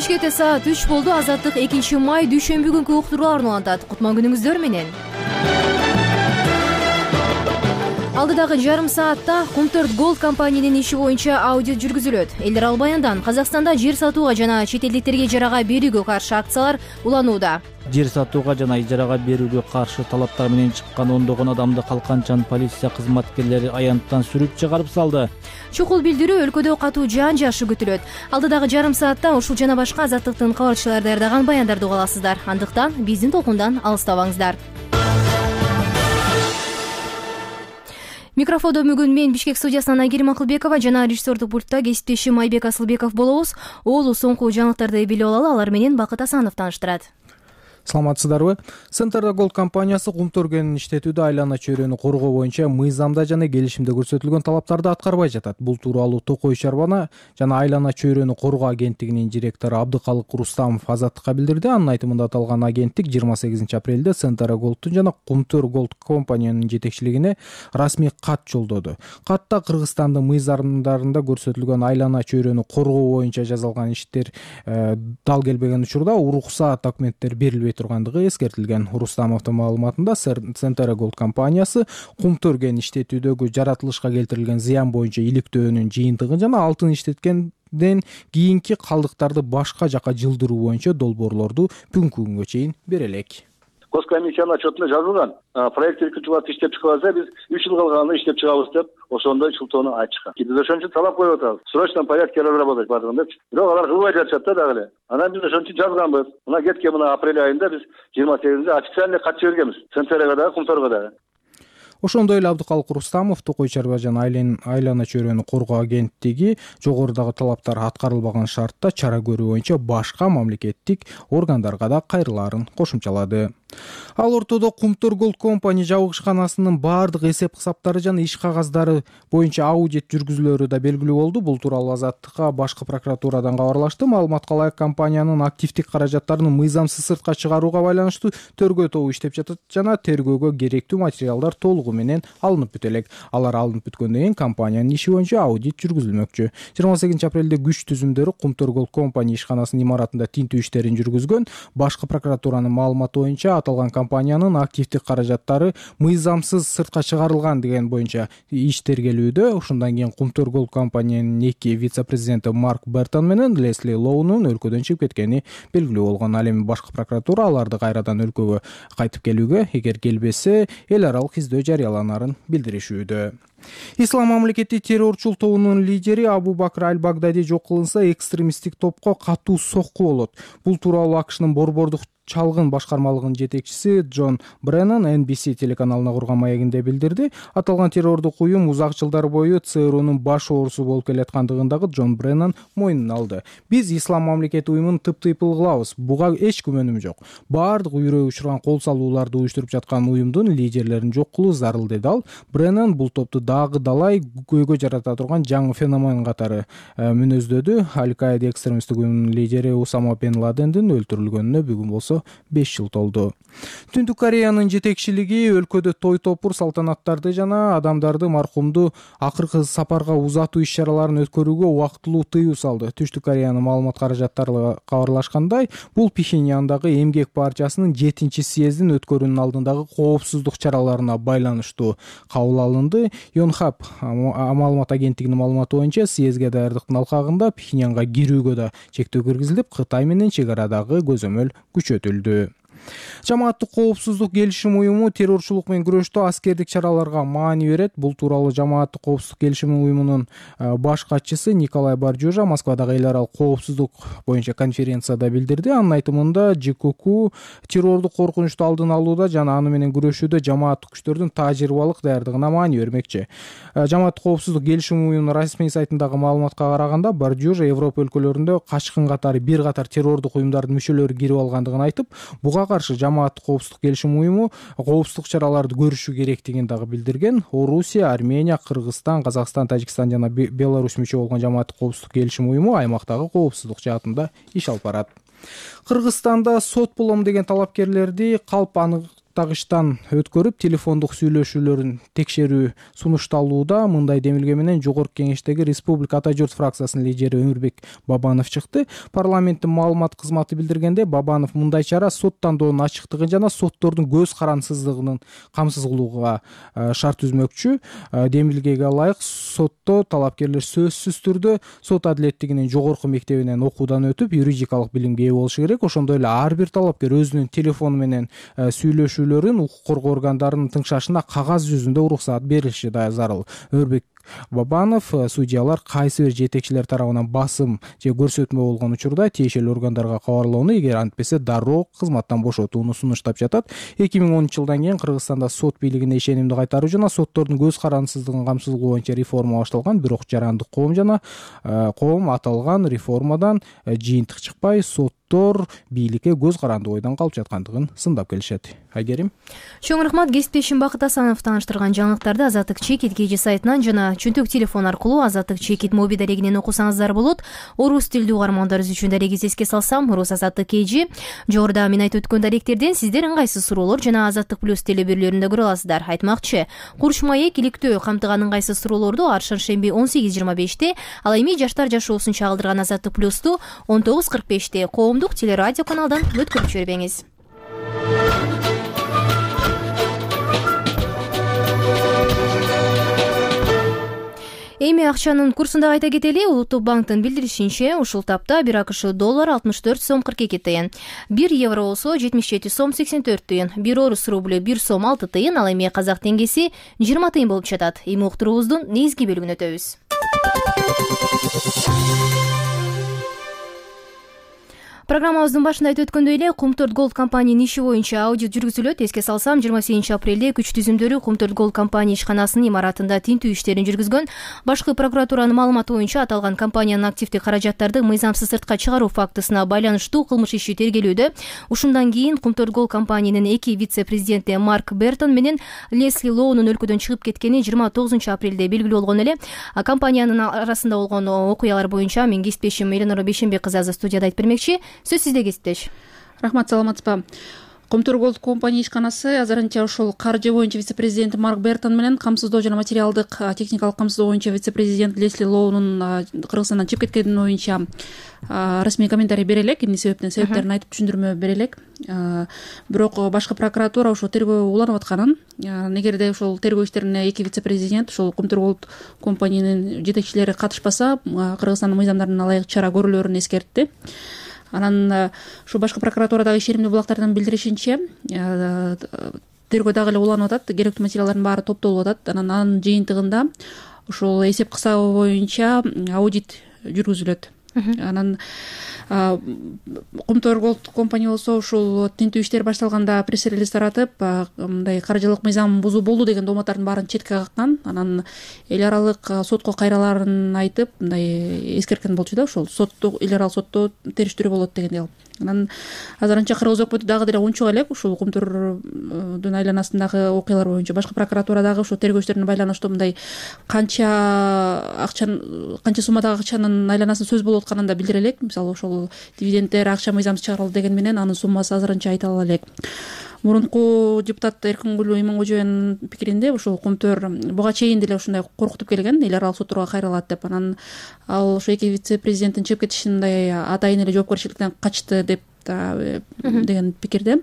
Бишкекте саат 3 болду. Азаттык 2 май дүйшөмбү күнкү уктурууларын улантат. Кутман күнүңүздөр менен. Алдыдагы жарым саатта Кумтөрт Голд компаниянын иши боюнча аудит жүргүзүлөт. Элдер Албаяндан Казакстанда жер сатууга жана чет элдиктерге ижарага берүүгө каршы акциялар уланууда. Жер сатууга жана ижарага берүүгө каршы талаптар менен чыккан ондогон адамды Калканчан полиция кызматкерлери аянттан сүрүп чыгарып салды. Чукул билдирүү өлкөдө катуу жаан жаашы күтүлөт. Алдыдагы жарым саатта ушул жана башка азаттыктын кабарчылары даярдаган баяндарды уга аласыздар. Андыктан биздин толкундан алыстабаңыздар. Микрофондо бүгүн мен Бишкек студиясынан Айгерим Акылбекова жана режиссердук пультта кесиптешим Айбек Асылбеков болобуз. Оолу соңку жаңылыктарды билип алалы, алар менен Бакыт Асанов тааныштырат. Саламатсыздарбы? Центрда Голд компаниясы Кумтөргөнүн иштетүүдө айлана чөйрөнү коргоо боюнча мыйзамда жана келишимде көрсөтүлгөн талаптарды аткарбай жатат. Бул тууралуу Токой чарбана жана айлана чөйрөнү коргоо агенттигинин директору Абдыкалык Рустамов Азаттыкка билдирди. Анын айтымында аталган агенттик 28-апрелде Центрда Голдтун жана Кумтөр Голд компаниянын жетекчилигине расмий кат жолдоду. Катта Кыргызстандын мыйзамдарында көрсөтүлгөн айлана чөйрөнү коргоо боюнча жазылган иштер дал келбеген учурда уруксаат документтер берилбей тургандыгы эскертилген. Рустамовдун маалыматында Центрда Голд компаниясы Кумтөргөн иштетүүдөгү жаратылышка келтирилген зыян боюнча иликтөөнүн жыйынтыгын жана алтын иштеткенден кийинки калдыктарды башка жака жылдыруу боюнча долбоорлорду бүгүнкү күнгө чейин бере элек. Госкомиссиянын отчетунда жазылган. Проект экинчи иштеп чыгып алса, биз 3 жыл калганда иштеп чыгабыз деп ошондой шылтоону айтышкан. Биз ошон үчүн талап коюп атабыз. В срочном порядке разработать бардыгын депчи. Бирок алар кылбай жатышат да дагы эле. Анан биз ошон үчүн жазганбыз. Мына кеткен апрель айында биз 28-де официальный кат жибергенбиз. Центрга дагы, Кумтөргө дагы. Ошондой эле Абдыкалык Рустамов Токой чарба жана айлана чөйрөнү коргоо агенттиги жогорудагы талаптар аткарылбаган шартта чара көрүү боюнча башка мамлекеттик органдарга да кайрылаарын кошумчалады. Ал ортодо Кумтөр Голд компания жабыгышканасынын баардык эсеп-кысаптары жана иш кагаздары боюнча аудит жүргүзүлөрү да белгилүү болду. Бул тууралуу Азаттыкка башкы прокуратурадан кабарлашты. Маалыматка ылайык компаниянын активдик каражаттарын мыйзамсыз сыртка чыгарууга байланыштуу тергөө тобу иштеп жатат жана тергөөгө керектүү материалдар толугу менен алынып бүт элек. Алар алынып бүткөндөн кийин компаниянын иши боюнча аудит жүргүзүлмөкчү. 28-апрелде күч түзүмдөрү Кумтөр Голд компания ишканасынын имаратында тинтүү иштерин жүргүзгөн. Башкы прокуратуранын маалыматы боюнча аталган компаниянын активдик каражаттары мыйзамсыз сыртка чыгарылган деген боюнча иш тергелүүдө. Ошондон кийин Кумтөр Голд компаниянын 2 вице-президенти Марк Бертон менен Лесли Лоунун өлкөдөн чыгып кеткени белгилүү болгон. Ал эми башкы прокуратура аларды кайрадан өлкөгө кайтып келүүгө, эгер келбесе, эл аралык издөө жарыяланарын билдиришүүдө. Ислам мамлекети террорчул тобунун лидери Абу Бакр Аль-Багдади жок кылынса, экстремисттик топко катуу сокку болот. Бул тууралуу АКШнын борбордук чалгын башкармалыгынын жетекчиси Джон Бреннан NBC телеканалына курган маегинде билдирди. Аталган террордук уюм узак жылдар бою ЦРУнун баш оорусу болуп келаткандыгындагы Джон Бреннан мойнуна алды. Биз Ислам мамлекети уюмун тыптыйпыл кылабыз. Буга эч күмөнүм жок. Баардык үйрөй учурган кол салууларды уюштуруп жаткан уюмдун лидерлерин жок кылуу зарыл, деди ал. Бреннан бул топту дагы далай көйгөй жарата турган жаңы феномен катары мүнөздөдү. Аль-Каида экстремисттик уюмунун лидери Усама бен Ладендин өлтүрүлгөнүнө бүгүн болсо 5 жыл толду. Түндүк Кореянын жетекчилиги өлкөдө той топур салтанаттарды жана адамдарды маркумду акыркы сапарга узатуу иш-чараларын өткөрүүгө убактылуу тыюу салды. Түштүк Кореянын маалымат каражаттары кабарлашкандай, бул Пхеньяндагы эмгек партиясынын 7-съездин өткөрүүнүн алдындагы коопсуздук чараларына байланыштуу кабыл алынды. Yonhap маалымат агенттигинин маалыматы боюнча, съездге даярдыктын алкагында Пхеньянга кирүүгө да чектөө киргизилип, Кытай менен чек арадагы көзөмөл күчөтүлдү. Жамааттык коопсуздук келишим уюму террорчулук менен күрөштө аскердик чараларга маани берет. Бул тууралуу Жамааттык коопсуздук келишим уюмунун баш катчысы Николай Баржужа Москвадагы эл аралык коопсуздук боюнча конференцияда билдирди. Анын айтымында ЖКК террордук коркунучту алдын алууда жана аны менен күрөшүүдө жамааттык күчтөрдүн тажрыйбалык даярдыгына маани бермекчи. Жамааттык коопсуздук келишим уюмунун расмий сайтындагы маалыматка караганда, Баржужа Европа өлкөлөрүндө качкын катары бир катар террордук уюмдардын мүчөлөрү кирип алгандыгын айтып, буга каршы Жамааттык коопсуздук келишим уюму коопсуздук чараларды көрүшү керектигин дагы билдирген. Орусия, Армения, Кыргызстан, Казакстан, Тажикстан жана Беларусь мүчө болгон Жамааттык коопсуздук келишим уюму аймактагы коопсуздук жаатында иш алып барат. Кыргызстанда сот болом деген талапкерлерди калп тагыштан өткөрүп телефондук сүйлөшүүлөрүн текшерүү сунушталууда. Мындай демилге менен Жогорку Кеңештеги Республика Ата журт фракциясынын лидери Өмүрбек Бабанов чыкты. Парламенттин маалымат кызматы билдиргенде, Бабанов мындай чара сот тандоонун ачыктыгын жана соттордун көз карансыздыгын камсыз кылууга шарт түзмөкчү. Демилгеге ылайык сотто талапкерлер сөзсүз түрдө сот адилеттигинин жогорку мектебинен окуудан өтүп, юридикалык билимге ээ болушу керек. Ошондой эле ар бир талапкер өзүнүн телефону менен сүйлөшүүлөрүн укук коргоо органдарынын тыңшашына кагаз жүзүндө уруксаат берилиши да зарыл. Өмүрбек Бабанов судьялар кайсы бир жетекчилер тарабынан басым же көрсөтмө болгон учурда тиешелүү органдарга кабарлоону, эгер антпесе дароо кызматтан бошотууну сунуштап жатат. 2010-жылдан кийин Кыргызстанда сот бийлигине ишенимди кайтаруу жана соттордун көз карансыздыгын камсыз кылуу боюнча реформа башталган. Бирок жарандык коом аталган реформадан жыйынтык чыкпай, соттор бийликке көз каранды ойдон калып жаткандыгын сындап келишет. Айгерим. Чоң рахмат. Кесиптешим Бакыт Асанов тааныштырган жаңылыктарды Азаттык Чекит KG сайтынан жана чөнтөк телефон аркылуу Азаттык Чекит моби дарегинен окусаңыздар болот. Орус тилдүү угармандарыбыз үчүн дарегиз эске салсам, Орус Азаттык KG. Жогоруда мен айтып өткөн даректерден сиздер ыңгайсыз суроолор жана Азаттык плюс телебирлөрүндө көрө аласыздар. Айтмакчы, Курч маек иликтөө камтыган ыңгайсыз суроолорду ар шаршемби 18:25-те, ал эми жаштар жашоосун чагылдырган Азаттык плюсту 19:45-те коомдук телерадио каналдан өткөрүп жибербеңиз. Эми акчанын курсун да айта кетели. Улуттук банктын билдиришинче, ушул тапта 1 АКШ доллар 64 сом 42 тыйын, 1 евро болсо 77 сом 84 тыйын, 1 орус рублю 1 сом 6 тыйын, ал эми казак теңгеси 20 тыйын болуп жатат. Эми уктуруубуздун негизги бөлүгүнө өтөбүз. Программабыздын башында айтып өткөндөй эле, Кумтөрт Голд компаниянын иши боюнча аудит жүргүзүлөт. Эске салсам, 28 апрелде күч түзүмдөрү Кумтөрт Голд компания ишканасынын имаратында тинтүү иштерин жүргүзгөн. Башкы прокуратуранын маалыматы боюнча, аталган компаниянын активдик каражаттарды мыйзамсыз сыртка чыгаруу фактысына байланыштуу кылмыш иши тергелүүдө. Ушундан кийин Кумтөрт Голд компаниянын 2 вице-президенти Марк Бертон менен Лесли Лоунун өлкөдөн чыгып кеткени 29 апрелде белгилүү болгон эле. Компаниянын арасында болгон окуялар боюнча мен кесиптешим Эленора Бейшенбек кызы азыр студияда айтып бермекчи. Сөз сизде, кесиптеш. Рахмат, саламатсызбы. Кумтөрт Голд компания ишканасы азырынча ушул каржы боюнча вице-президент Марк Бертон менен камсыздоо жана материалдык техникалык камсыздоо боюнча вице-президент Лесли Лоунун Кыргызстандан чыгып кеткени боюнча расмий комментарий бере элек, эмне себептерин айтып түшүндүрмө бере элек. Бирок башкы прокуратура ошол тергөө уланып атканын, эгерде ошол тергөө иштерине 2 вице-президент ушул Кумтөрт Голд компаниянын жетекчилери катышпаса, Кыргызстандын мыйзамдарына ылайык чара көрүлөрүн эскертти. Анан ушу башкы прокуратурадагы ишенимдүү булактардын билдиришинче, тергөө дагы эле уланып атат, керектүү материалдардын баары топтолуп атат. Анын жыйынтыгында ушул эсеп кысабы боюнча аудит жүргүзүлөт. Анан Кумтөрт Голд компания болсо ушул тинтүү иштер башталганда пресс-релиз таратып, мындай каржылык мыйзам бузуу болду деген дооматтардын баарын четке каккан. Анан эл аралык сотко кайраларын айтып, мындай эскерткен болчу да, ошол сотто, эл аралык сотто териштирүү болот дегендей кылып. Анан азырынча кыргыз өкмөтү дагы деле унчук элек ушул Кумтөрдүн айланасындагы окуялар боюнча башкы прокуратура дагы ушул тергөө иштерине байланыштуу мындай канча суммадагы акчанын айланасын сөз болуп атканын да билдире элек. Мисалы ошол дивиденддер, акча мыйзамсыз чыгарылды деген менен анын суммасы азырынча айта ала элек. Мурунку депутат Эркингүл Имангожоевнун пикиринде ушул Кумтөр буга чейин деле ушундай коркутуп келген, эл аралык сотторго кайрылат деп. Анан ал ошо 2 вице-президенттин чыгып кетишин мындай атайын эле жоопкерчиликтен качты деп деген пикирде.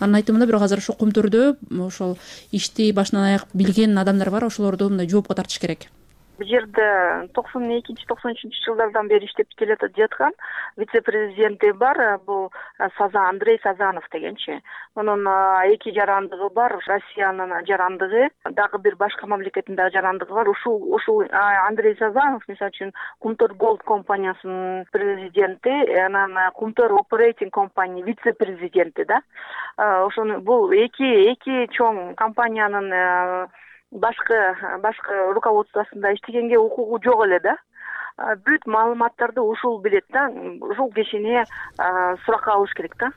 Анын айтымында бирок азыр ошо Кумтөрдө ошол ишти башынан аяк билген адамдар бар, ошолорду мындай жоопко тартыш керек. Бул жерде 92-93 жылдардан бери иштеп келе жаткан вице-президенти бар, бул Андрей Сазанов дегенчи. Анын 2 жарандыгы бар, Россиянын жарандыгы, дагы бир башка мамлекеттин дагы жарандыгы бар. Ушул Андрей Сазанов, мисалы үчүн, Кумтөрт Голд компаниясынын президенти, анан Кумтөр Оперейтинг компания вице-президенти да. Ошону бул эки чоң компаниянын башкы руководствосунда иштегенге укугу жок эле да. Бүт маалыматтарды ушул билет да, ушул кишине суракка алыш керек да.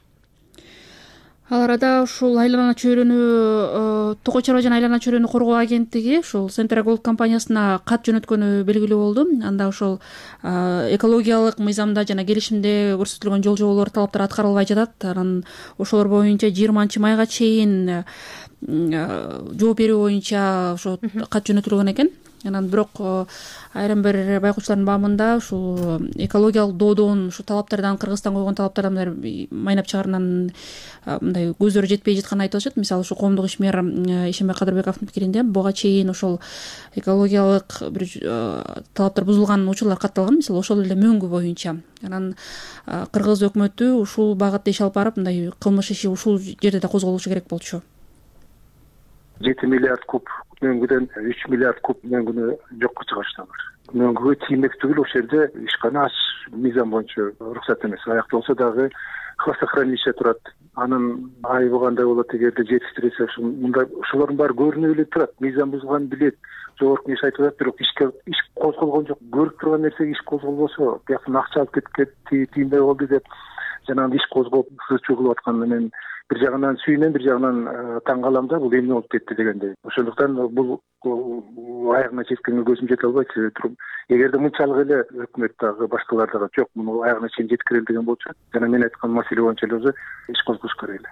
Ал арада ушул айлана чөйрөнү Токой чарба жана айлана чөйрөнү коргоо агенттиги ушул Central Gold компаниясына кат жөнөткөнү белгилүү болду. Анда ошол экологиялык мыйзамда жана келишимде көрсөтүлгөн жол жоболор талаптар аткарылбай жатат. Анан ошолор боюнча 20-майга чейин жооп берүү боюнча ошо кат жөнөтүлгөн экен. Анан бирок айрым бир байкоочулардын баамында ушул экологиялык доодон ушу талаптардан Кыргызстан койгон талаптардан майнап чыгаргандан мындай көздөрү жетпей жатканын айтып атышат. Мисалы ушу коомдук ишмер Ишенбек Кадырбековдун пикиринде буга чейин ошол экологиялык бир талаптар бузулган учурлар катталган, мисалы ошол эле мөңгү боюнча. Анан Кыргыз өкмөтү ушул багытта иш алып барып, мындай кылмыш иши ушул жерде да козголушу керек болчу. 7 миллиард куб мөңгүдөн 3 миллиард куб мөңгүнү жокко чыгарыштылар. Мөңгүгө тиймек түгүл ошол жерде ишкана аш мыйзам боюнча уруксат эмес. Аякталса дагы хвостохранилище турат. Анын айыбы кандай болот эгерде жетиштирилсе, мындай ошолордун баары көрүнүп эле турат. Мыйзам бузганын билет. Жогорку кеңеш айтып атат, бирок иш козголгон жок. Көрүп турган нерсеге иш козголбосо, бияктан акча алып кетти, тиймдей болду деп жанагы иш козгоп сызчу кылып атканын мен бир жагынан сүйүнөм, бир жагынан таң калам да, бул эмне болуп кетти дегендей. Ошондуктан бул аягына жеткенге көзүм жете албайт. Эгерде мынчалык эле өкмөт дагы башкалар дагы жок, муну аягына чейин жеткирели деген болчу, жана мен айткан маселе боюнча эле иш козгош керек эле.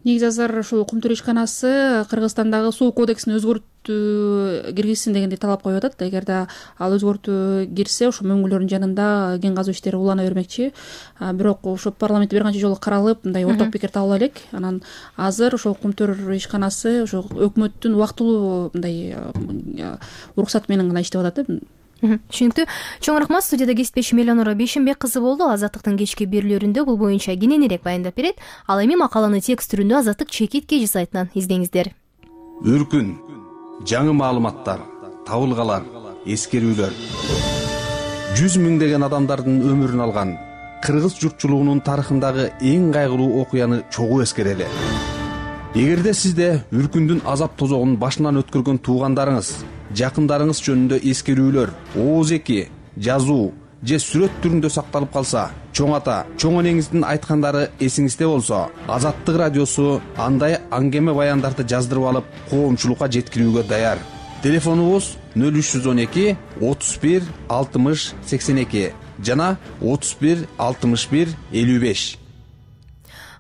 Негизи азыр ушул Кумтур ишканасы Кыргызстандагы суу кодексине өзгөртүү киргизсин дегендей талап коюп атат. Эгерде ал өзгөртүү кирсе, ошо мөңгүлөрдүн жанында кен казуу иштери улана бермекчи. Бирок ошо парламентте бир канча жолу каралып, мындай орток пикир табыла элек. Анан азыр ошол Кумтур ишканасы ошо өкмөттүн убактылуу мындай уруксаты менен гана иштеп атат. Түшүнүктүү. Чоң рахмат. Студияда кесиптешим Элеонора Бейшенбек кызы болду. Азаттыктын кечки берүүлөрүндө бул боюнча кененирээк баяндап берет. Ал эми макаланы текст түрүндө Азаттык чекит KG сайтынан издеңиздер. Үркүн, жаңы маалыматтар, табылгалар, эскерүүлөр. 100 миңдеген адамдардын өмүрүн алган Кыргыз журтчулугунун тарыхындагы эң кайгылуу окуяны чогуу эскерели. Эгерде сизде үркүндүн азап тозогун башынан өткөргөн туугандарыңыз, жакындарыңыз жөнүндө эскерүүлөр, ооз-эки, жазуу же сүрөт түрүндө сакталып калса, чоң ата, чоң энеңиздин айткандары эсиңизде болсо, Азаттык радиосу андай аңгеме баяндарды жаздырып алып, коомчулукка жеткирүүгө даяр. Телефонубуз 0312 31 60 82 жана 31 61 55.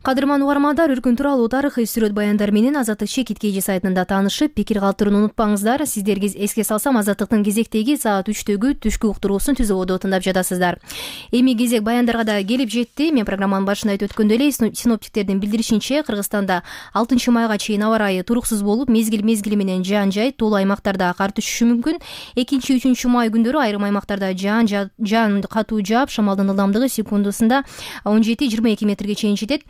Кадырман угармандар, үркүн тууралуу тарыхый сүрөт баяндар менен Азаттык чекит KG сайтында таанышып, пикир калтырууну унутпаңыздар. Сиздерге эске салсам, Азаттыктын кезектеги саат 3-төгү түшкү уктуруусун түзүп ободо тыңдап жатасыздар. Эми кезек баяндарга да келип жетти. Мен программанын башында айтып өткөндөй эле, синоптиктердин билдиришинче, Кыргызстанда 6-майга чейин аба ырайы туруксуз болуп, мезгил менен жаан-жай, тоолуу аймактарда кар түшүшү мүмкүн. 2-3 май күндөрү айрым аймактарда жаан катуу жаап, шамалдын ылдамдыгы секундасында 17-22 метрге чейин жетет.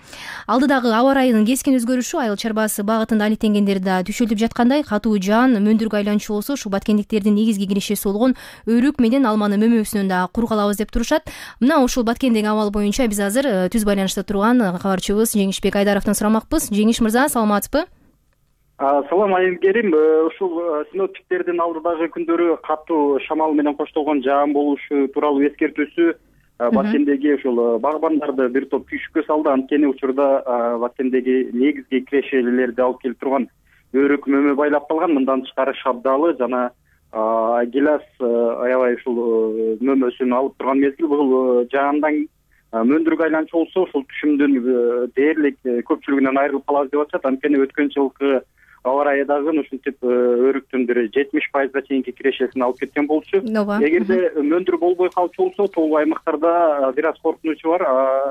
Алдыдагы аба ырайынын кескин өзгөрүшү айыл чарбасы багытында алектенгендер да түшүлүп жаткандай. Катуу жаан мөндүргө айланчу болсо, ушу баткендиктердин негизги кирешеси болгон өрүк менен алманын мөмөсүнөн да кур калабыз деп турушат. Мына ушул баткендеги абал боюнча биз азыр түз байланышта турган кабарчыбыз Жеңишбек Айдаровдон сурамакпыз. Жеңиш мырза, саламатсызбы? Салам айгерим. Ушул синоптиктердин алдыдагы күндөрү катуу шамал менен коштолгон жаан болушу тууралуу эскертүүсү Баткендеги ушул багбандарды бир топ күйшүккө салды. Анткени учурда Баткендеги негизги кирешелерди алып келип турган өрүк мөмө байлап калган. Мындан тышкары шабдалы жана гилас аябай ушул мөмөсүн алып турган мезгил. Бул жаандан мөндүргө айланчу болсо, ушул түшүмдүн дээрлик көпчүлүгүнөн айрылып калабыз деп атышат. Анткени өткөн жылкы аба ырайы дагы ушинтип өрүктүн бир 70%-га чейинки кирешесин алып кеткен болчу. Эгерде мөндүр болбой калчу болсо, тоолуу аймактарда бир аз коркунучу бар.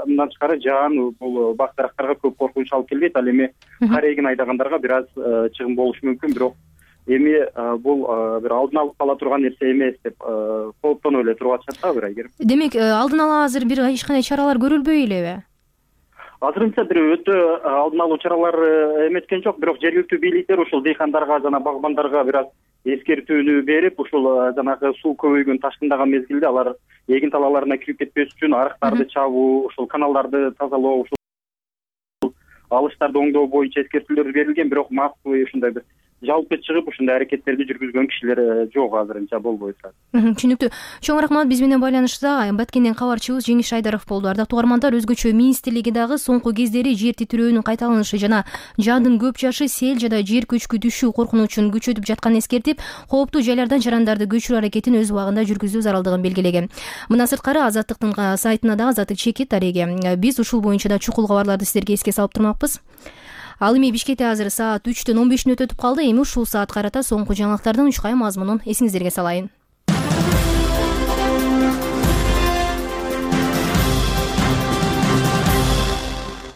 Мындан тышкары жаан бул бак дарактарга көп коркунуч алып келбейт. Ал эми кар эгин айдагандарга бир аз чыгым болушу мүмкүн. Бирок эми бул бир алдын алып кала турган нерсе эмес деп кооптонуп эле туруп атышат да бир айгерим. Демек, алдын ала азыр бир эч кандай чаралар көрүлбөй элеби? Азырынча бир өтө алдын алуу чаралары эметкен жок, бирок жергиликтүү бийликтер ушул дыйкандарга жана багбандарга бир аз эскертүүнү берип, ушул жанагы суу көбөйгөн ташкындаган мезгилде алар эгин талааларына кирип кетпеш үчүн арыктарды чабуу, ушул каналдарды тазалоо, ушул алыштарды оңдоо боюнча эскертүүлөр берилген. Бирок массовый ушундай бир жалпы чыгып ушундай аракеттерди жүргүзгөн кишилер жок азырынча болбойт. Түшүнүктүү. Чоң рахмат. Биз менен байланышта Баткенден кабарчыбыз Жеңиш Айдаров болду. Ардактуу угармандар, өзгөчө министрлиги дагы соңку кездери жер титирөөнүн кайталанышы жана жаандын көп жашы сел жана жер көчкү түшүү коркунучун күчөтүп жатканын эскертип, кооптуу жайлардан жарандарды көчүрүү аракетин өз убагында жүргүзүү зарылдыгын белгилеген. Мындан сырткары Азаттыктын сайтына дагы Азаттык чекит дареги. Биз ушул боюнча да чукул кабарларды сиздерге эске салып турмакпыз. Ал эми Бишкекте азыр саат 3:15 өтүп калды. Эми ушул саатка карата соңку жаңылыктардын учкай мазмунун эсиңиздерге салайын.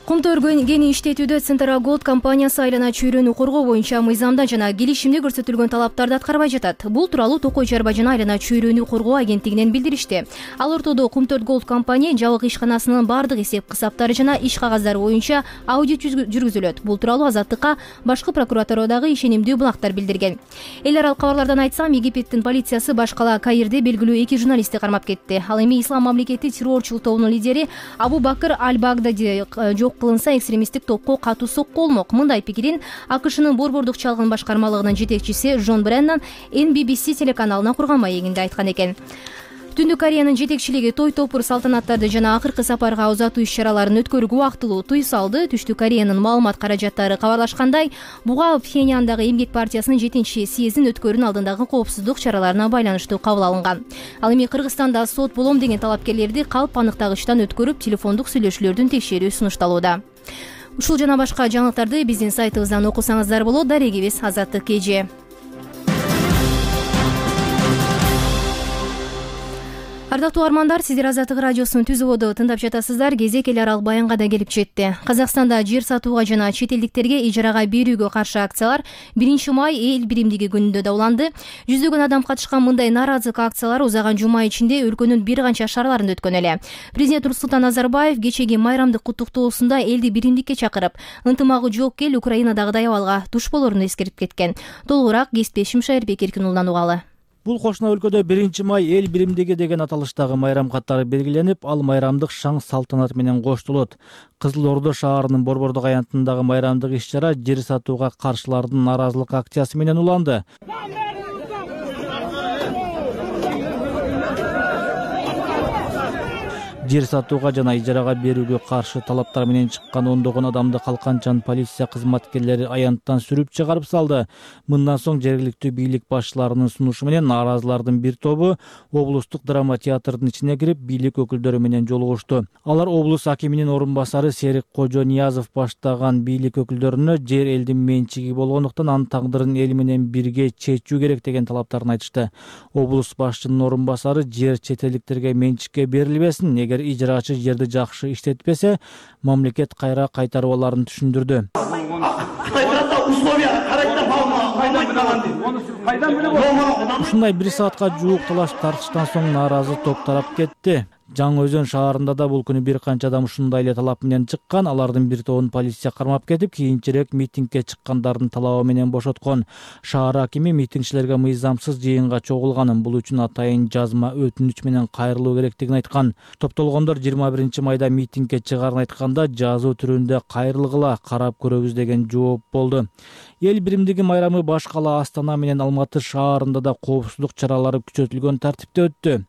Кумтөр кени иштетүүдө Централ Голд компаниясы айлана чөйрөнү коргоо боюнча мыйзамда жана келишимде көрсөтүлгөн талаптарды аткарбай жатат. Бул тууралуу Токой Чарба жана айлана чөйрөнү коргоо агенттигинен билдиришти. Ал ортодо Кумтөр Голд компания жабык ишканасынын бардык эсеп-кысаптары жана иш кагаздары боюнча аудит жүргүзүлөт. Бул тууралуу Азаттыкка башкы прокуратурадагы ишенимдүү булактар билдирген. Эл аралык кабарлардан айтсам, Египеттин полициясы баш кала Каирде белгилүү 2 журналистти кармап кетти. Ал эми Ислам мамлекети террорчул тобунун лидери Абу Бакыр Аль-Багдади жок кылынса экстремисттик топко катуу сокку болмок. Мындай пикирин АКШнын борбордук чалгын башкармалыгынын жетекчиси Джон Бреннан NBBC телеканалына курган маегинде айткан экен. Түндүк Кореянын жетекчилиги той топур салтанаттарды жана акыркы сапарга узатуу иш-чараларын өткөрүүгө убактылуу тыюу салды. Түштүк Кореянын маалымат каражаттары кабарлашкандай, буга Пхеньяндагы Эмгек партиясынын 7-съездин өткөрүүнүн алдындагы коопсуздук чараларына байланыштуу кабыл алынган. Ал эми Кыргызстанда сот болом деген талапкерлерди калп аныктагычтан өткөрүп, телефондук сүйлөшүүлөрдүн текшерүү сунушталууда. Ушул жана башка жаңылыктарды биздин сайтыбыздан окусаңыздар болот. Дарегибиз Азаттык KG. Ардактуу армандар, сиздер Азаттык радиосунун түзүүбүдө тыңдап жатасыздар. Кезек эл аралык баянга да келип жетти. Казакстанда жер сатууга жана чет элдиктерге ижарага берүүгө каршы акциялар 1 май эл биримдиги күнүндө да уланды. Жүздөгөн адам катышкан мындай нааразылык акциялар узаган жума ичинде өлкөнүн бир канча шаарларында өткөн эле. Президент Нурсултан Назарбаев кечеги майрамдык куттуктоосунда элди биримдикке чакырып, ынтымагы жок эл Украинадагыдай абалга туш болоруну эскерип кеткен. Толугураак кесиптешим Шайырбек Эркинулладан угалы. Бул кошуна өлкөдө 1 май эл биримдиги деген аталыштагы майрам катары белгиленип, ал майрамдык шаң салтанат менен коштолот. Кызыл Ордо шаарынын борбордук аянтындагы майрамдык иш-чара жер сатууга каршылардын нааразылык акциясы менен уланды. Жер сатууга жана ижарага берүүгө каршы талаптар менен чыккан ондогон адамды калканчан полиция кызматкерлери аянттан сүрүп чыгарып салды. Мындан соң жергиликтүү бийлик башчыларынын сунушу менен нааразылардын бир тобу облустук драма театрдын ичине кирип, бийлик өкүлдөрү менен жолугушту. Алар облус акиминин орун басары Серик Кожониязов баштаган бийлик өкүлдөрүнө жер элдин менчиги болгондуктан анын тагдырын эл менен бирге чечүү керек деген талаптарын айтышты. Облус башчынын орун басары жер чет элдиктерге менчикке берилбесин, эгер ижарачы жерди жакшы иштетпесе, мамлекет кайра кайтарып аларын түшүндүрдү. Ушундай 1 саатка жуук талаш тартыштан соң нааразы топ тарап кетти. Жаңы Өзөн шаарында да бул күнү бир канча адам ушундай эле талап менен чыккан. Алардын бир тобун полиция кармап кетип, кийинчерээк митингге чыккандардын талабы менен бошоткон. Шаар акими митингчилерге мыйзамсыз жыйынга чогулганын, бул үчүн атайын жазма өтүнүч менен кайрылуу керектигин айткан. Топтолгондор 21 майда митингге чыгарын айтканда, жазуу түрүндө кайрылгыла, карап көрөбүз деген жооп болду. Эл биримдиги майрамы баш кала Астана менен Алматы шаарында да коопсуздук чаралары күчөтүлгөн тартипте өттү.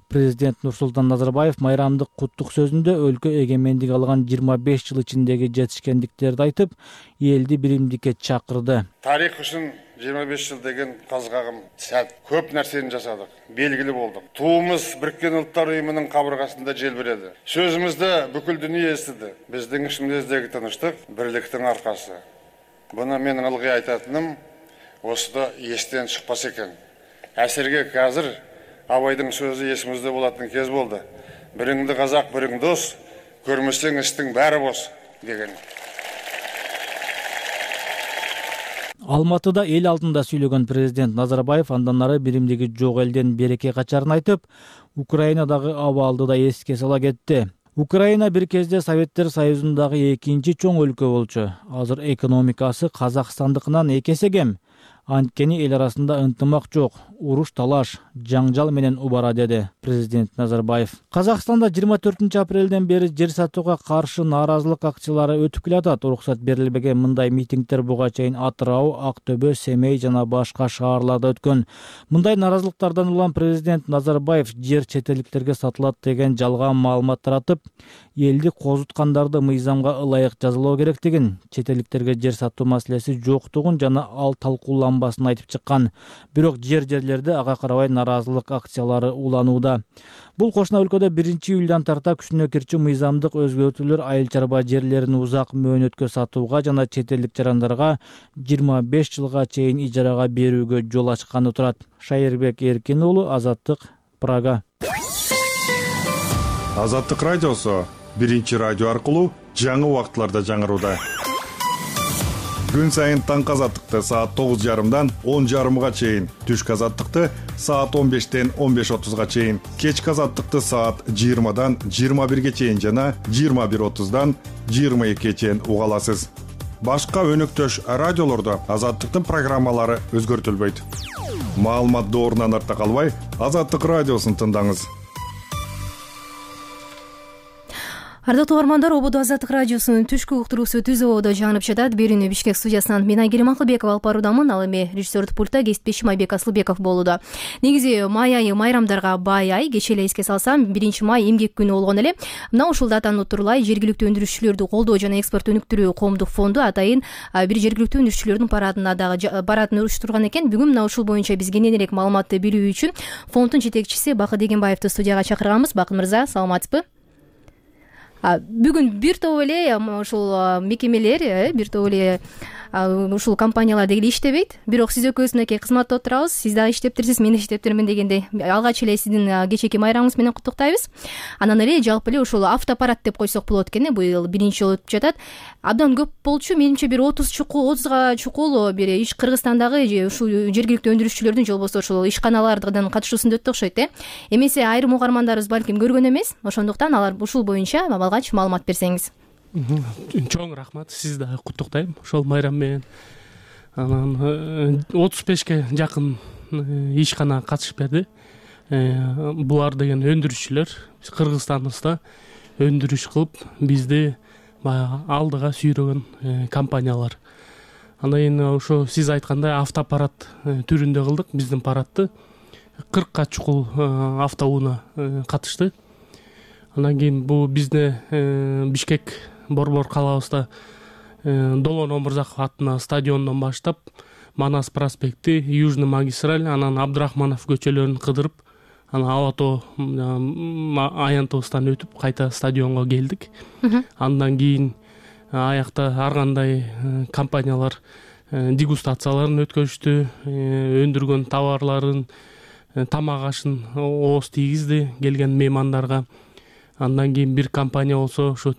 Президент Нурсултан Назарбаев майрамдык куттук сөзүндө өлкө эгемендик алган 25 жыл ичиндеги жетишкендиктерди айтып, элди биримдикке чакырды. Тарих үчүн 25 жыл деген казгагым сәт. Көп нерсени жасадык, белгили болдук. Туумуз Бириккен Улуттар уюмунун кабыргасында желбиреди. Сөзүмүздө бүкүл дүйнө эстиди. Биздин ишимиздеги тынычтык бирликтин аркасы. Буну мен ылгый айтатыным, осуда эстен чыкпас экен. Әсерге қазір Абайдың сөзі есімізде болатын кез болды. Біріңді қазақ, бірің дос, көрмесең істің бәрі бос деген. Алматыда эл алдында сүйлөгөн президент Назарбаев андан ары биримдиги жок элден береке качарын айтып, Украинадагы абалды да эске сала кетти. Украина бир кезде Советтер Союзундагы экинчи чоң өлкө болчу. Азыр экономикасы Казакстандыкынан 2 эсе кем. Анткени эл арасында ынтымак жок, уруш талаш, жаңжал менен убара, деди президент Назарбаев. Казакстанда 24 апрелден бери жер сатууга каршы нааразылык акциялары өтүп келатат. Уруксат берилбеген мындай митингдер буга чейин Атырау, Актөбө, Семей жана башка шаарларда өткөн. Мындай нааразылыктардан улам президент Назарбаев жер чет элдиктерге сатылат деген жалган маалымат таратып, элди козуткандарды мыйзамга ылайык жазалоо керектигин, чет элдиктерге жер сатуу маселеси жоктугун жана ал талкууланбасын айтып чыккан. Бирок жерлерде ага карабай нааразылык акциялары уланууда. Бул кошуна өлкөдө 1-июлдан тарта күчүнө кирчү мыйзамдык өзгөртүүлөр айыл чарба жерлерин узак мөөнөткө сатууга жана чет элдик жарандарга 25 жылга чейин ижарага берүүгө жол ачканы турат. Шайырбек Эркин уулу, Азаттык, Прага. Азаттык радиосу биринчи радио аркылуу жаңы убакытларда жаңырууда. Күн сайын таңкы азаттыкты саат 9:30дан 10:30га чейин, түшкү азаттыкты саат 15-тен 15:30га чейин, кечки азаттыкты саат 20-дан 21-ге чейин жана 21:30-дан 22-ге чейин уга аласыз. Башка өнөктөш радиолордо азаттыктын программалары өзгөртүлбөйт. Маалымат доорунан артта калбай, Азаттык радиосун тыңдаңыз. Ардактуу угармандар, Ободо Азаттык радиосунун түшкү уктуруусу Түз Ободо жаңырып жатат. Берүүнү Бишкек студиясынан мен Айгерим Акылбекова алып баруудамын. Ал эми режиссердик пультта кесиптешим Айбек Асылбеков болууда. Негизи май айы майрамдарга бай ай. Кечээ эле эске салсам, 1-май эмгек күнү болгон эле. Мына ушул датаны утурлай жергиликтүү өндүрүшчүлөрдү колдоо жана экспорт өнүктүрүү коомдук фонду атайын бир жергиликтүү өндүрүшчүлөрдүн парадына дагы баратын уюштурган экен. Бүгүн мына ушул боюнча биз кененирээк маалыматты билүү үчүн фонддун жетекчиси Бакыт Дегенбаевди студияга чакырганбыз. Бакыт мырза, саламатсызбы? Бүгүн бир топ эле ушул мекемелер, бир топ эле ушул компаниялар дегеле иштебейт. Бирок сиз экөөбүзнүн кызматта отурабыз. Сиз дагы иштептирсиз, мен иштептирмин дегендей. Алгач эле сиздин кечээки майрамыңыз менен куттуктайбыз. Анан эле жалпы эле ушул автопарат деп койсок болот экен. Быйыл 1-жолу өтүп жатат. Абдан көп болчу. Менимче бир 30га чукул бир иш Кыргызстандагы ушул жергиликтүү өндүрүшчүлөрдүн же болбосо ушул ишканалардын катышуусунда өттү окшойт, Эмесе айрым угармандарыбыз балким көргөн эмес. Ошондуктан алар ушул боюнча алгач маалымат берсеңиз. Чоң рахмат, сиз да куттуктайм ошол майрам менен. Анан 35ке жакын ишкана катышып берди. Булар деген өндүрүшчүлөр Кыргызстаныбызда өндүрүш кылып бизди алдыга сүйрөгөн компаниялар. Андан кийин ошо сиз айткандай автопарат түрүндө кылдык. Биздин паратты 40ка чукул автоунаа катышты. Андан кийин бул бизде Бишкек Борбор калабызда Долон Омурзаков аттына стадиондон баштап Манас проспекти, Южный магистраль, анан Абдрахманов көчөлөрүн кыдырып, анан Алато аянтыбыздан өтүп кайта стадионго келдик. Андан кийин аякта ар кандай компаниялар дегустацияларын өткөзүштү, өндүргөн товарларын, тамак ашын ооз тийгизди келген меймандарга. Андан кийин бир компания болсо, ошо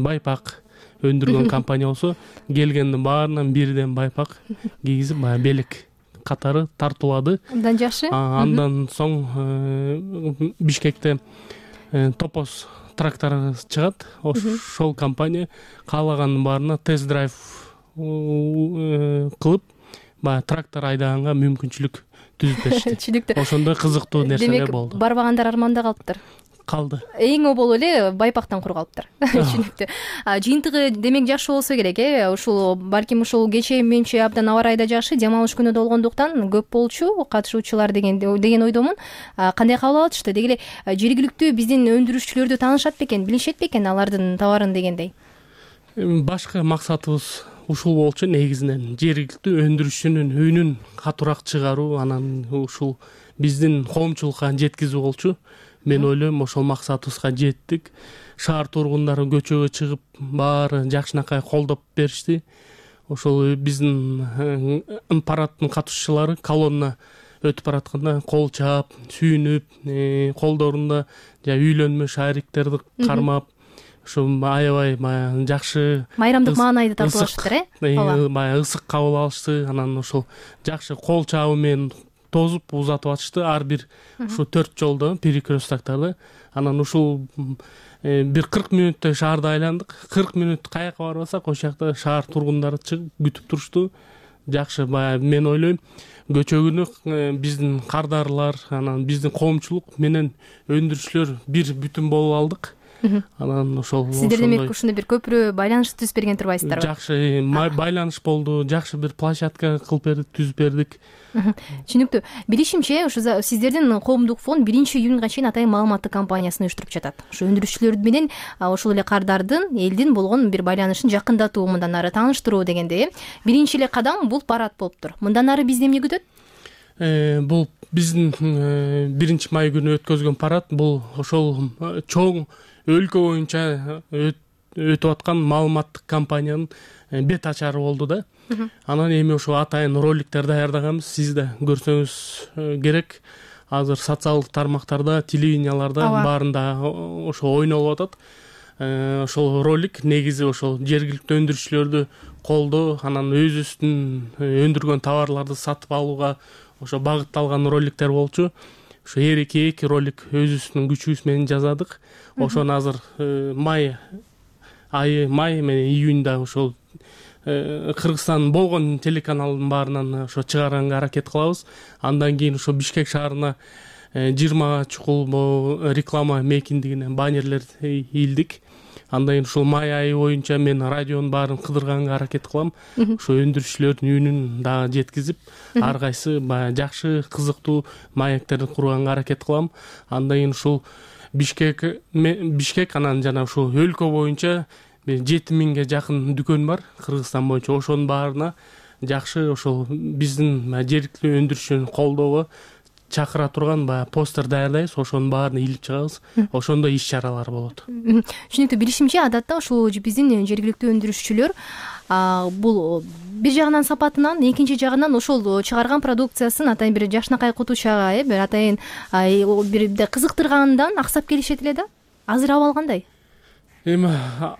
байпак өндүргөн компания болсо, келгендин баарынан бирден байпак кийгизип, белек катары тартуулады. Андан жакшы. Андан соң Бишкекте Топоз трактор чыгат. Ошол компания каалагандын баарына тест-драйв кылып, трактор айдаганга мүмкүнчүлүк түзүп беришти. Түшүнүктүү. Ошондой кызыктуу нерселер болду. Демек, барбагандар арманда калыптыр. Калды. Эң обол эле байпактан кур калыптыр. Түшүнүктүү. Жыйынтыгы демек жакшы болсо керек, Ушул балким ушул кечээ менимче абдан аба ырайда жакшы, жам алыш күнү болгондуктан көп болчу катышуучулар деген ойдомун. Кандай кабыл алышты? Деги эле жергиликтүү биздин өндүрүшчүлөрдү таанышат бекен, билишет бекен алардын товарын дегендей? Башкы максатыбыз ушул болчу негизинен. Жергиликтүү өндүрүшчүнүн үнүн катуураак чыгаруу, анан ушул биздин коомчулукка жеткизүү болчу. Мен ойлойм, ошол максатыбызга жеттик. Шаар тургундары көчөгө чыгып, баары жакшынакай колдоп беришти. Ошол биздин парадтын катышуучулары колонна өтүп баратканда кол чаап, сүйүнүп, колдорунда үйлөнмө шариктерди кармап, ошо аябай жакшы майрамдык маанайды тартып алышыптыр, ысык кабыл алышты. Анан ошол жакшы кол чабуу менен тозуп узатып атышты ар бир ушу 4 жолдо перекресткаларда. Анан ушул бир 40 мүнөттөй шаарды айландык. 40 мүнөт каяка барбасак, ошол жакта шаар тургундары чыгып күтүп турушту. жакшы. Баягы мен ойлойм көчөгүнү биздин кардарлар, анан биздин коомчулук менен өндүрүүчүлөр бир бүтүн болуп алдык. Анан ошол сиздер демек ушундай бир көпүрө байланыш түзүп берген турбайсыздарбы? Жакшы байланыш болду, жакшы бир площадка кылып бердик, түзүп бердик. Түшүнүктүү. Билишимче, ушу сиздердин коомдук фонд 1-июнга чейин атайын маалыматтык кампаниясын уюштуруп жатат. Ушу өндүрүүчүлөр менен ошол эле кардардын элдин болгон бир байланышын жакындатуу, мындан ары тааныштыруу дегенде, биринчи эле кадам бул парад болуптур. Мындан ары бизди эмне күтөт? Бул биздин 1 май күнү өткөзгөн парад бул ошол чоң өлкө боюнча өтүп аткан маалыматтык кампаниянын бет ачары болду да. Анан эми ошо атайын роликтер даярдаганбыз. Сиз да көрсөңүз керек. Азыр социалдык тармактарда, телевиденияларда баарында ошо ойнолуп атат. Ошол ролик негизи ошол жергиликтүү өндүрүүчүлөрдү колдоо, анан өзүбүздүн өндүргөн товарларды сатып алууга ошо багытталган роликтер болчу. Ошо эки ролик өзүбүздүн күчүбүз менен жазадык. Ошону азыр май менен июнда ошол Кыргызстан болгон телеканалдын баарынан ошо чыгарганга аракет кылабыз. Андан кийин ошо Бишкек шаарына 20 чукул реклама мейкиндигине баннерлер ийилдик. Андан кийин ушул май айы боюнча мен радионун баарын кыдырганга аракет кылам. Ошо өндүрүүчүлөрдүн үнүн дагы жеткизип, ар кайсы баягы жакшы, кызыктуу маектерди курганга аракет кылам. Андан кийин ушул Бишкек анан жана ушул өлкө боюнча 7000ге жакын дүкөн бар Кыргызстан боюнча. Ошонун баарына жакшы ошол биздин жергиликтүү өндүрүүчүнү колдоого чакыра турган баягы постер даярдайбыз. Ошонун баарына илип чыгабыз. Ошондой иш-чаралар болот. Түшүнүктүү. Билишимче, адатта ушул биздин жергиликтүү өндүрүүчүлөр бул бир жагынан сапатынан, экинчи жагынан ошол чыгарган продукциясын атайын бир жакшынакай кутучага, бир атайын бир кызыктыргандан аксап келишет эле да. Азыр абал кандай? Эми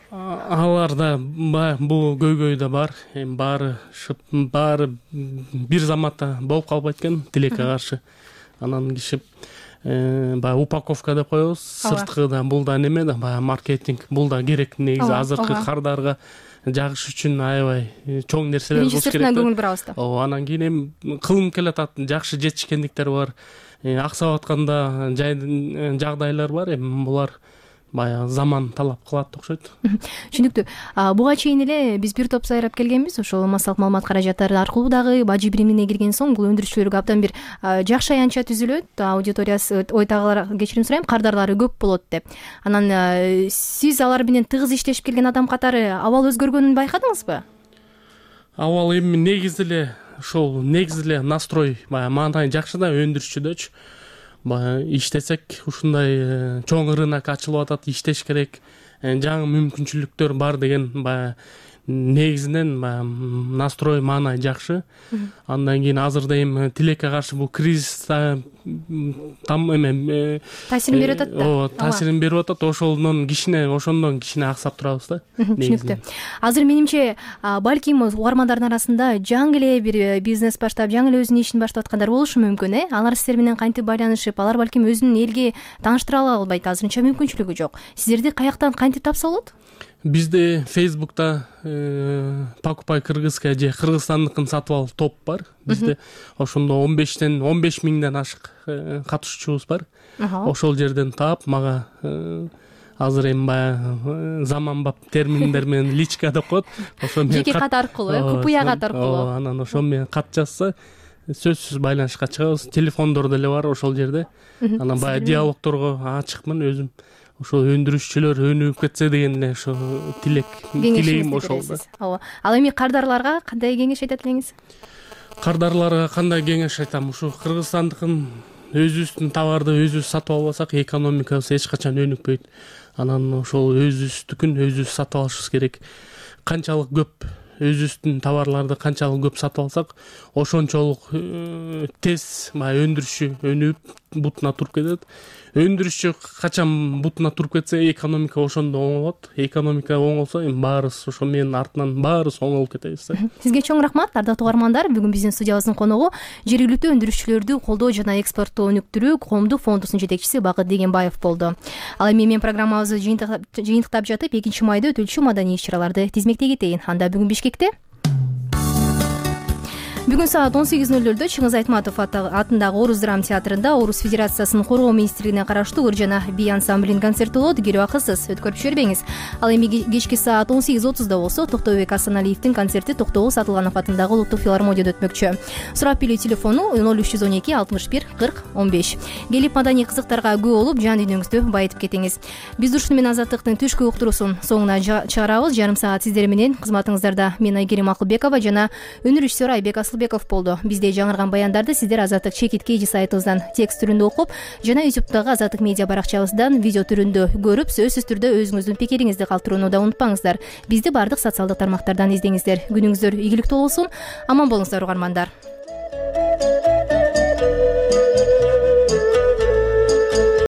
аларда бул көйгөй да бар. Эми баары бир заматта болуп калбайт экен тилекке каршы. Анан киши баягы упаковка деп коебуз. Сырткы да бул да неме да баягы маркетинг, бул да керек негизи. Азыркы кардарга жагыш үчүн аябай чоң нерселер болуш керек. Сыртынан көңүл бурабыз да. Анан кийин эми кылынып келатат, жакшы жетишкендиктер бар. Аксап атканда жагдайлар бар. Эми булар баягы заман талап кылат окшойт. Түшүнүктүү. Буга чейин эле биз бир топ сайрап келгенбиз. Ошол массалык маалымат каражаттары аркылуу дагы бажы биримине кирген соң бул өндүрүүчүлөргө абдан бир жакшы аянтча түзүлөт. Аудиториясы, ойтагылар, кечирим сурайм, кардарлары көп болот деп. Анан сиз алар менен тыгыз иштешип келген адам катары абал өзгөргөнүн байкадыңызбы? Абал эми негизи эле настрой баягы маанайы жакшы да өндүрүүчүдөчү. Иштесек ушундай чоң рынок ачылып атат, иштеш керек, жаңы мүмкүнчүлүктөр бар деген баягы негизинен настрой маанай жакшы. Андан кийин азырда эми тилекке каршы бул кризис таасирин берип атат да. Ооба, таасирин берип атат. Ошондон кичине аксап турабыз да. Түшүнүктүү. Азыр менимче балким угармандардын арасында жаңы эле бир бизнес баштап, жаңы эле өзүнүн ишин баштап аткандар болушу мүмкүн, Алар сиздер менен кантип байланышып, алар балким өзүн элге тааныштыра албайт, азырынча мүмкүнчүлүгү жок. Сиздерди каяктан кантип тапса болот? Бизде Facebook'та Покупай Кыргызская же Кыргызстандыкын сатып ал топ бар. Бизде ошондо 15 миңден ашык катышуучубуз бар. Ошол жерден таап мага азыр эми баягы заманбап терминдер менен личка деп коет. Ошо менен жеке кат аркылуу, купуя кат аркылуу. Анан ошо менен кат жазса сөзсүз байланышка чыгабыз. Телефондор деле бар ошол жерде. Анан баягы диалогторго ачыкмын өзүм. Ошол өндүрүүчүлөр өнүгүп кетсе деген эле ошо тилегим ошол да. Ооба. Ал эми кардарларга кандай кеңеш айтат элеңиз? Кардарларга кандай кеңеш айтам? Ушу Кыргызстандыкын өзүбүздүн товарды өзүбүз сатып албасак, экономикабыз эч качан өнүкпөйт. Анан ошол өзүбүздүкүн өзүбүз сатып алышыбыз керек. Канчалык көп өзүбүздүн товарларды канчалык көп сатып алсак, ошончолук тез өндүрүшү өнүгүп бутуна туруп кетет. Өндүрүшчү качан бутуна туруп кетсе, экономика ошондо оңолот. Экономика оңолсо, эми баарыбыз ошо менин артынан баарыбыз оңолуп кетебиз да. Сизге чоң рахмат, ардактуу угармандар. Бүгүн биздин студиябыздын коногу жергиликтүү өндүрүүчүлөрдү колдоо жана экспорттоо өнүктүрүү коомдук фондусунун жетекчиси Багыт Дегенбаев болду. Ал эми мен программабызды жыйынтыктап жатып, 2 майда өтүлчү маданий иш-чараларды тизмектей кетейин. Анда бүгүн Бишкекте Бүгүн саат 18:00 Чыңгыз Айтматов атындагы Орус драма театрында Орус Федерациясынын коргоо министрлигине караштуу ыр жана би ансамблинин концерти болот. Кирип акысыз, өткөрүп жибербеңиз. Ал эми кечки саат 18:30 болсо Токтобек Асаналиевдин концерти Токтогул Сатылганов атындагы Улуттук филармонияда өтмөкчү. Сурап билүү телефону 0312 61 40 15. Келип маданий кызыктарга күбө болуп, жан дүйнөңүздү байытып кетиңиз. Биз ушуну менен Азаттыктын түшкү уктуруусун соңуна чыгарабыз. Жарым саат сиздер менен кызматыңыздарда мен Айгерим Акылбекова жана өнөр режиссеру Айбек Асылбеков болду. Бизде жаңырган баяндарды сиздер Азаттык чекит KG сайтыбыздан текст түрүндө окуп жана YouTube'дагы Азаттык медиа баракчабыздан видео түрүндө көрүп, сөзсүз түрдө өзүңүздүн пикириңизди калтырууну да унутпаңыздар. Бизди бардык социалдык тармактардан издеңиздер. Күнүңүздөр ийгиликтүү болсун. Аман болуңуздар угармандар.